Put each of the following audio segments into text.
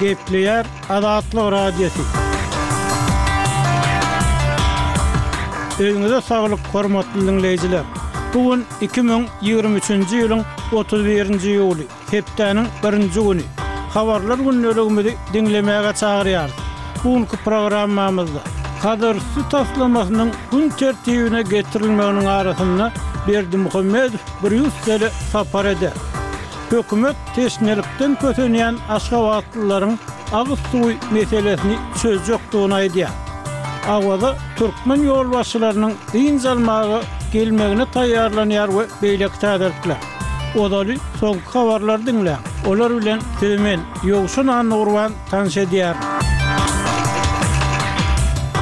Gepleýär Azatlyk Radiosy. Öýüňize saglyk, hormatly diňleýjiler! Bu gün 2023-nji ýylyň 31-nji iýuly, hepdäniň birinji güni. Habarlar gündeligimizi diňlemäge çagyrýarys. Bu günki programmamyzda Hazarüsti taslamasynyň gün tertibine getirilmeginiň arasynda Berdimuhamedow Brýussele sapar eder. Hökümet teşnelikden kösenýän aşgabatlylaryň agyz suwy meselesini çözjekdigini aýdýar. Awaza türkmen ýolbaşçylarynyň dynç almaga gelmegine taýýarlanýar we beýleki täzelikler. Ozaly soňky habarlary diňläň. Olar bilen sizi men, Ýowşan Annagurban tanyş edýärin.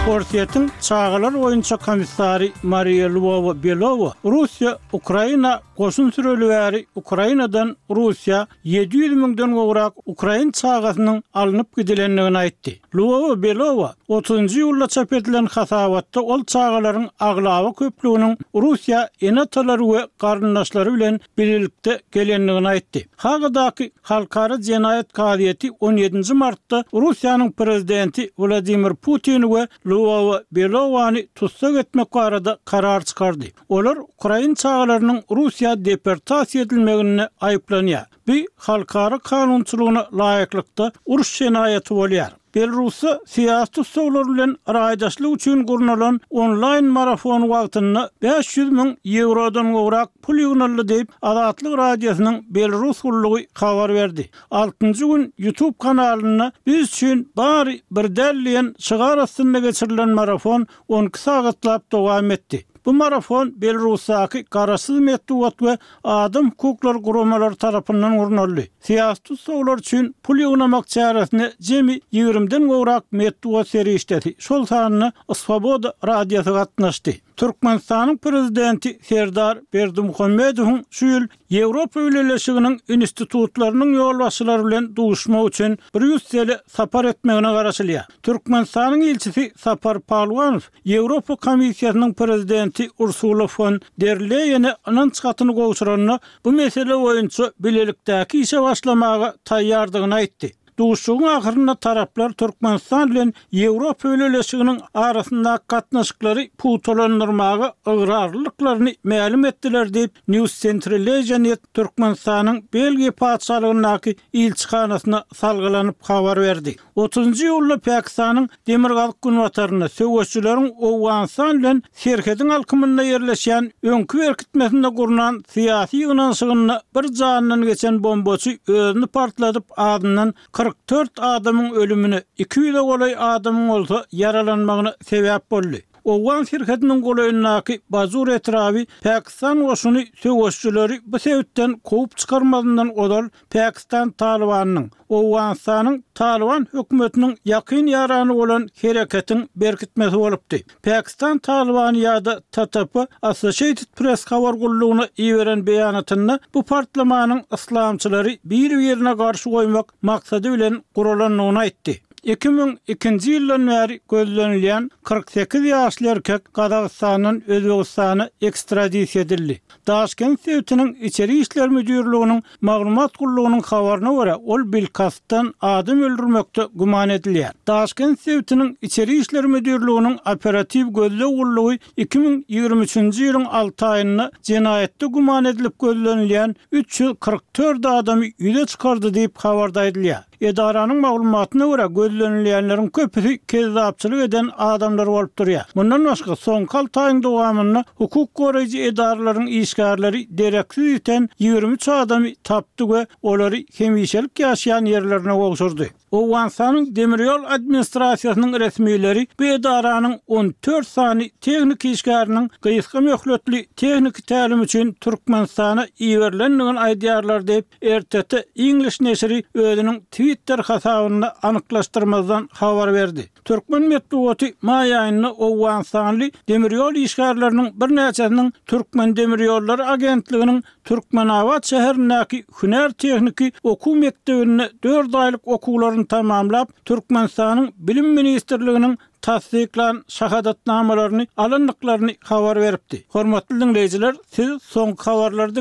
Orsýetiň çagalar boýunça komissary Mariýa Lwowa-Belowa Russiýa Ukraina Goşun süreli bäri Ukrainadan Russiýa 700 müňden gowrak ukrain çagasynyň alnyp gidilendigini aýtdy. Lwowa-Belowa otuzynjy iýulda çap edilen hasabatda ol çagalaryň aglaba köplüginiň Russiýa ene-atalary we garyndaşlary bilen bilelikde gelendigini aýtdy. Hagadaky Halkara jenaýat kazyýeti on ýedinji martda Russiýanyň prezidenti Wladimir Putini we Lwowa-Belowany tussag etmek barada karar çykardy. Olar ukrain çagalarynyň Russiýa deportasiýa edilmeginde aýyplanýar. Bu halkara kanunçylygyna laýyklykda uruş jenaýaty bolýar. Belarusda syýasy tussaglar bilen raýdaşlyk üçin gurnalan onlaýn marafon wagtynda 500 müň ýewrodan gowrak pul ýygnaldy diýip, Azatlyk Radiosynyň Belarus gullugy habar berdi. Altynjy gün YouTube kanalynda Biz üçin bary bir däl diýen şygar astynda geçirilen marafon 12 sagatlap dowam etdi. Bu marafon Belarusdaky garaşsyz metbugat we adam hukuklary guramalary tarapyndan gurnaldy. Syýasy tussaglar üçin pul ýygnamak çäresine jemi ýigrimiden gowrak metbugat serişdesi, şol sanda Swoboda radiosy gatnaşdy. Türkmenistanyň Prezidenti Serdar Berdimuhamedowyň şu ýyl Ýewropa Bileleşiginiň institutlarynyň ýolbaşçylary bilen duşuşmak üçin Brýussele sapar etmegine garaşylýar. Türkmenistanyň ilçisi Sapar Palwanow Ýewropa Komissiýasynyň prezidenti Ursula fon der Leýene ynanç hatyny gowşuranda, bu mesele boýunça bilelikdäki işe başlamaga taýýardygyny aýtdy. Duşuşygyň ahyrynda taraplar Türkmenistan bilen Ýewropa Bileleşiginiň arasyndaky gatnaşyklary pugtalandyrmaga ygrarlydyklaryny mälim etdiler diýip, News Centralasia Net Türkmenistanyň Belgiýa Patyşalygyndaky ilçihanasyna salgylanyp habar berdi. Otuzynjy iýulda Pakistanyň demirgazyk-günbatarynda söweşijileriň Owganystan bilen serhediň alkymynda ýerleşýän öňki berkitmesinde gurnan syýasy ýygnanyşygynda bir janyndan geçen bombaçy özüni partladyp azyndan 44 adamyň ölümine, 200-e golaý adamyň bolsa ýaralanmagyna sebäp boldy. Owgan serhediniň golaýyndaky Bajur etraby Pakistan goşuny söweşijileri bu sebitden kowup çykarmazyndan ozal Pakistan Talybanynyň, Owganystanyň Talyban hökümetiniň ýakyn ýarany bolan hereketiň berkitmesi bolupdy. Pakistan Talybany ýa-da TTP Associated Press habar gullugyna iberen beýanatynda bu partlamanyň yslamçylary bir-birine garşy goýmak maksady bilen guralandygyny aýtdy. 2002-nji ýyldan bäri gözlenilýän 48 ýaşly erkek Gazagystandan Özbegistana ekstradisiýa edildi. Daşkent sebitiniň Içeri işler müdirliginiň Maglumat gullugynyň habaryna görä, ol bilkastdan adam öldürmekde güman edilýär. Daşkent sebitiniň Içeri işler müdirliginiň operatiw gözleg gullugy 2023-nji ýylyň alty aýynda jenaýatda güman edilip gözlenilýän 344 adamy ýüze çykardy diýip, habarda aýdylýar. Edaranyň maglumatyna görä, gözlenilýänleriň köpüsi kezzapçylyk eden adamlar bolup durýar. Mundan başga, soňky alty aýyň dowamynda hukuk goraýjy edaralaryň işgärleri dereksiz ýiten 23 adamy tapdy we olary hemişelik ýaşaýan ýerlerine gowşurdy. Owganystanyň Demir ýol administrasiýasynyň resmileri bu edaranyň 14 sany tehniki işgäriniň gysga möhletli tehniki tälim üçin Türkmenistana iberilendigini aýdýarlar diýip, RTT English neşiri özüniň Twitter hasabynda anyklaşdyrmazdan habar berdi. Türkmen metbugaty maý aýynda owganystanly demirýol işgärleriniň birnäçesiniň Türkmendemirýollary agentliginiň Türkmenabat şäherindäki hünär-tehniki okuw mekdebinde dört aýlyk okuwlaryny tamamlap, Türkmenistanyň Bilim ministrliginiň tassyklan şahadatnamalaryny alandyklaryny habar beripdi. Hormatly diňleýjiler, siz soňky habarlary.